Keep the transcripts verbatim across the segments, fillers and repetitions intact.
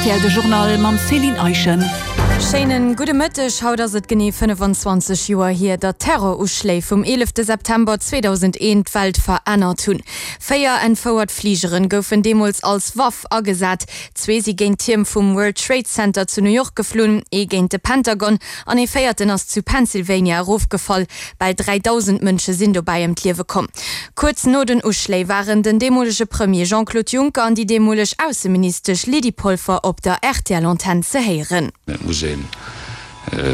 Rtl, De Journal mam Céline Eischen. Schéinen gudde Mëtteg. Haut ass et genee fënnefenzwanzeg Joer hier, datt d'Terroruschléi vum eelefte September zweedausendeent d'Welt verännert hunn. Véier entfouert Fligeren goufen deemools als Waff agesat. Zwee si géint d'Tierm vum World Trade Center zu New York geflunn, ee géint de Pentagon an ee véierten ass zu Pennsylvania erofgefall. Bal dräidausend Mënsche sinn dobäi ëm d'Liewe komm. Kuerz no den Uschléi waren den deemolege Premier Jean-Claude Juncker an déi deemoleg Ausseministesch Lydie Polfer op der R T L-Antenn ze héieren. Et muss een,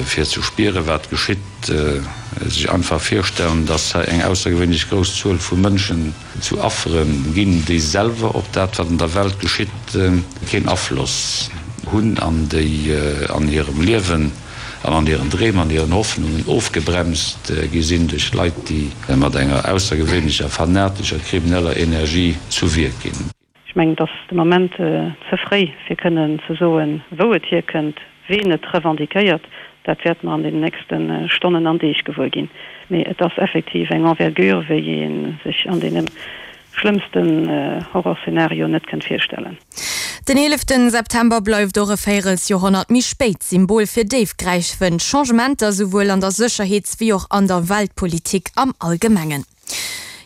fir ze spieren, wat geschitt, sech einfach virstellen, dass hei eng aussergewéinlech grouss Zuel vu Mënschen zu Affere ginn, déi selwer op dat, wat an der Welt geschitt, keen Afloss hunn an déi an hirem Liewen an an hiren Dreem, an hiren Hoffnungen ofgebremst gi sinn duerch Leit, déi mat enger aussergewéinlecher fanatescher, krimineller Energie zu Wierk ginn. Ech mengen, et ass de Moment ze fréi, fir kënnen ze soen, wou et hierkënnt, ween et revendiquéiert. Dat wäerte mer an den nächste Stonnen an Deeg gewuer ginn. Mee et ass effektiv eng Envergure, wéi ee sech an deene schlëmmsten Horrorszenarioen net kënnt virstellen. Den eeleften September bleift och e Véierelsjoerhonnert méi spéit Symbol fir déifgräifend Changementer souwuel an der Sécherheets wéi och an der Weltpolitik am Allgemengen.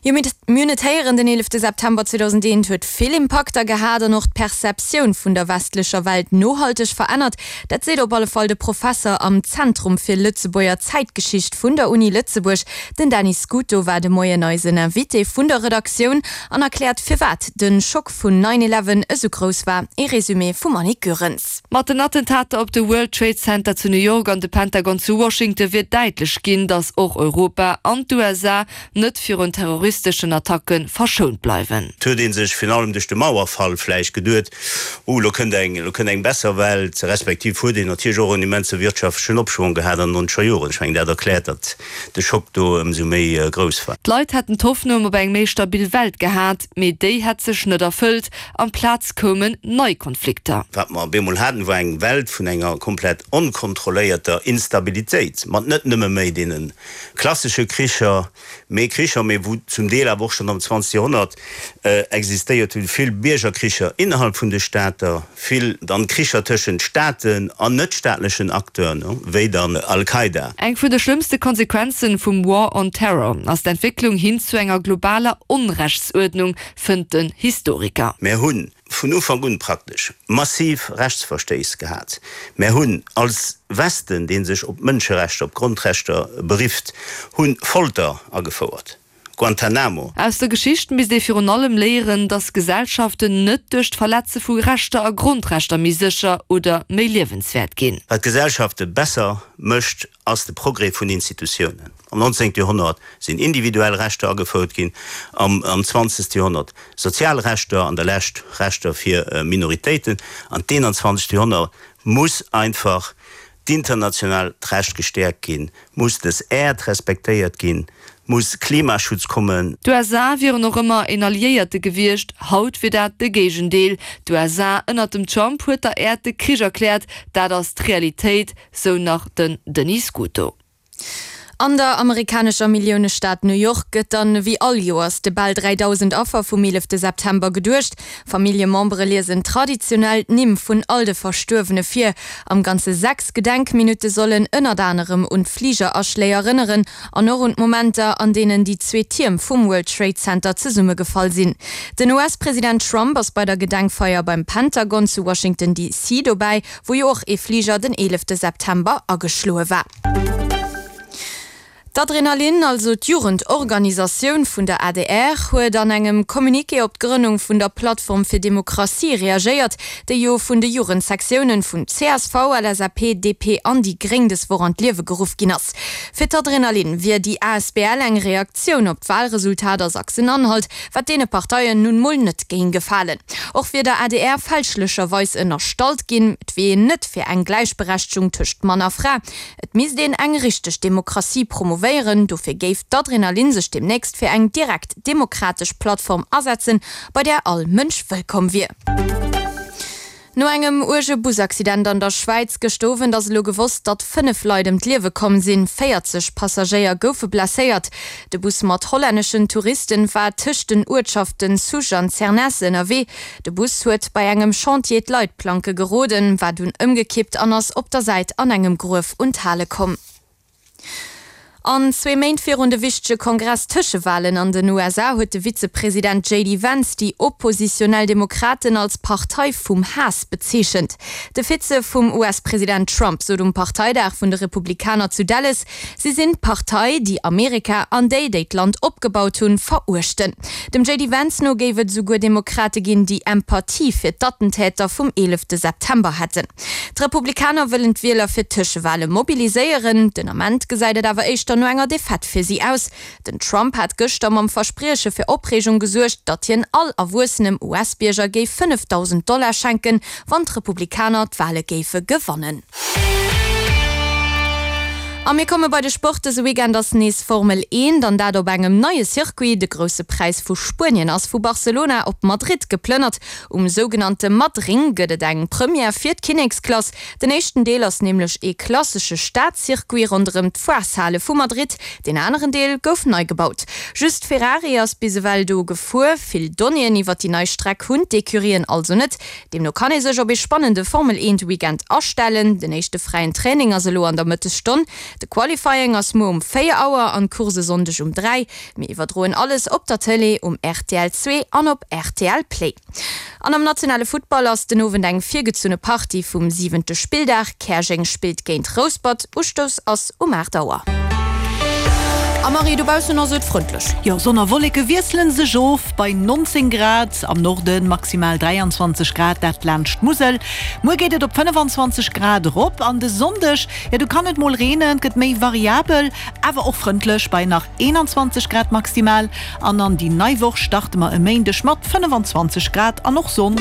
Jo, mir hunn et héieren, den eelefte September zweedausendeent huet vill Impakter gehat an och d'Perceptioun vun der westlecher Welt nohalteg verännert. Dat seet op alle Fall de Professer am Zentrum fir Lëtzebuerger Zäitgeschicht vun der Uni Lëtzebuerg. Den Dany Scuto war de Moien eisen Invité vun der Redaktioun an erkläert, firwat de Schock vun nine eleven esou grouss war. E Resumé vum Annick Goerens. Mat den Attentater op de World Trade Center zu New York an de Pentagon zu Washington wier däitlech ginn, datt och Europa an d'U S A net virun terroristeschen Attacke verschount bleiwen. Et huet ee sech virun allem duerch de Mauerfall vläicht geduet, oh, lo kënnt eng, lo kënnt eng besser Welt, respektiv huet een natierlech och en immense wirtschaftlechen Opschwong gehat an den nonzeger Joren. Ech mengen, dat erkläert, datt de Schock do ëmsou méi grouss war. D'Leit hätten d'Hoffnung op eng méi stabil Welt gehat, mee déi hätt sech net erfëllt. Amplaz koumen nei Konflikter. Wat mer op eemol haten, war eng Welt vun enger komplett onkontrolléierter Instabilitéit, mat net nëmme méi deene klassesche Kricher, mee Kricher, mee wou zum Deel awer och schonn am zwanzegste Joerhonnert existéiert hunn, vill Biergerkricher innerhalb vun de Stater, vill dann Kricher tëschent Staaten an net-staatlechen Acteuren, wéi dann Al-Qaida. Eng vun de schlëmmste Konsequenzen vum War on Terror ass d'Entwécklung hin zu enger globaler Onrechtsuerdnung, fënnt den Historiker. Mär hunn vun Ufank un praktesch massiv Rechtsverstéiss gehat. Mär hunn als Westen, dee sech op Mënscherechter, op Grondrechter berifft, hunn Folter agefouert, Guantanamo. Aus der Geschicht misst ee virun allem léieren, datt Gesellschaften net duerch d'Verletze vu Rechter a Grondrechter méi sécher oder méi liewenswäert ginn. Wat Gesellschafte besser mécht, ass de Progrès vun Institutiounen. Am nonzéngte Joerhonnert sinn individuell Rechter agefouert ginn, am zwanzegste Joerhonnert sozial Rechter, an der Lescht Rechter fir Minoritéiten. An d'eenanzwanzegste Joerhonnert muss einfach d'internationaalt Recht gestäerkt ginn, muss des Äerd respektéiert ginn, muss Klimaschutz kommen. D'U S A wieren och ëmmer een Alliéierte gewiescht, haut wier dat de Géigendeel. D'U S A ënnert dem Trump huet der Äerd de Krich erkläert, dat ass d'Realitéit, sou nach den Denis Scuto. An der amerikanescher Milliounestad New York gëtt dann wéi all Joers de bal dräidausend Affer vum eelefte September geduecht. Familljemembere liesen traditionell d'Nimm vun all de Verstuerwene vir. Am Ganze sechs Gedenkminutte sollen ënnert anerem un d'Fligeraschléi erënneren an och un d'Momenter, an deenen déi zwee Tierm vum World Trade Center zesummegefall sinn. Den U S-President Trump ass bei der Gedenkfeier beim Pentagon zu Washington D C dobäi, wou jo och ee Fliger den eelefte September ageschloe war. D'Adrenalin, also d'Jugendorganisatioun vun der A D R, huet an engem Communiqué op d'Grënnung vun der Plattform fir Demokratie reagéiert, déi jo vun de Jugendsektiounen vun C S V, L S A P, D P an déi Gréng des Woch an d'Liewe geruff ginn ass. Fir d'Adrenalin wier déi A S B L eng Reaktioun op d'Walresultat a Sachsen-Anhalt, wat deene Parteien nun mol net géing gefalen. Och wier der A D R fälschlecherweis ënnerstallt ginn, et wier een net fir eng Gläichberechtegung tëscht Mann a Fra. Et misst een eng richteg Demokratie promouvéieren, dofir géif d'Adrenalin sech demnächst fir eng direkt demokratesch Plattform asetzen, bei där all Mënsch wëllkomm wier. No engem uerge Busaccident an der Schwäiz gëscht Owend ass elo gewosst, datt fënnef Leit ëm d'Liewe komm sinn. véierzeg Passagéier goufe blesséiert. De Bus mat hollänneschen Touristen war tëscht den Uertschaften Susch an Zernez ënnerwee. De Bus huet bei engem Chantier d'Leitplanke geroden, war dunn ëmgekippt an ass op der Säit an engem Gruef un d'Hale komm. An zwee Méint virun de wichtege Kongress-Tëschewalen an den U S A huet de Vizepresident J D Vance déi oppositionell Demokraten als Partei vum Haass bezeechent. De Vize vum U S-President Trump sot um Parteidag vun de Republikaner zu Dallas, si sinn d'Partei, déi Amerika an déi, déi d'Land opgebaut hunn, veruechten. Dem J D Vance no géif et esouguer Demokrate ginn, déi Empathie fir d'Attentäter vum eelefte September hätten. D'Republikaner wëllen d'Wieler fir d'Tëschewale mobiliséieren. Den Ament gesäit et awer éischter no enger Defaite fir si aus. Den Trump hat gëschter mam Versprieche fir Opreegung gesuergt, datt hien all erwuessenem U S-Bierger géif fënnefdausend Dollar schenken, wann d'Republikaner d'Wale géife gewannen. A mir komme bei de Sport. Dëse Weekend ass nees Formel eent an dat op engem neie Circuit. De grousse Präis vu Spuenien ass vu Barcelona op Madrid geplënnert. Um sougenannte Madring gëtt et eng Première fir d'Kinneksklass. Den éischten Deel ass nämlech ee klassesche Stadcircuit ronderëm d'Foireshale vu Madrid. Den aneren Deel gouf nei gebaut. Just Ferrari ass bis ewell do gefuer. Vill Donnéeën iwwer déi nei Streck hunn d'Ecurien also net. Deemno kann ee sech op ee spannende Formel eent Weekend astellen. Den éischte fräien Training ass elo an der Mëttesstonn. De Qualifying ass muer um véier Auer an d'Course e Sonndeg um dräi. Mir iwwerdroen alles op der Tëlee, um R T L zwee an op R T L Play. An am nationale Futtball ass den Owend eng virgezunne Partie vum siwente Spilldag. Käerjeng spillt géint Rouspert. Ustouss ass um aacht Auer. A Marie, dobaussen ass et frëndlech. Jo, Sonn a Wolleke wiesselen sech of bei neunzehn Grad, am Norden maximal dräianzwanzeg Grad, dat laanscht d'Musel. Muer geet et op fënnefenzwanzeg Grad erop an de Sonndeg, ja, do kann et mol reenen, et gëtt méi variabel, awer och frëndlech bei nach eenanzwanzeg Grad maximal. An an déi nei Woch starte mer e Méindeg mat fënnefenzwanzeg Grad an och Sonn.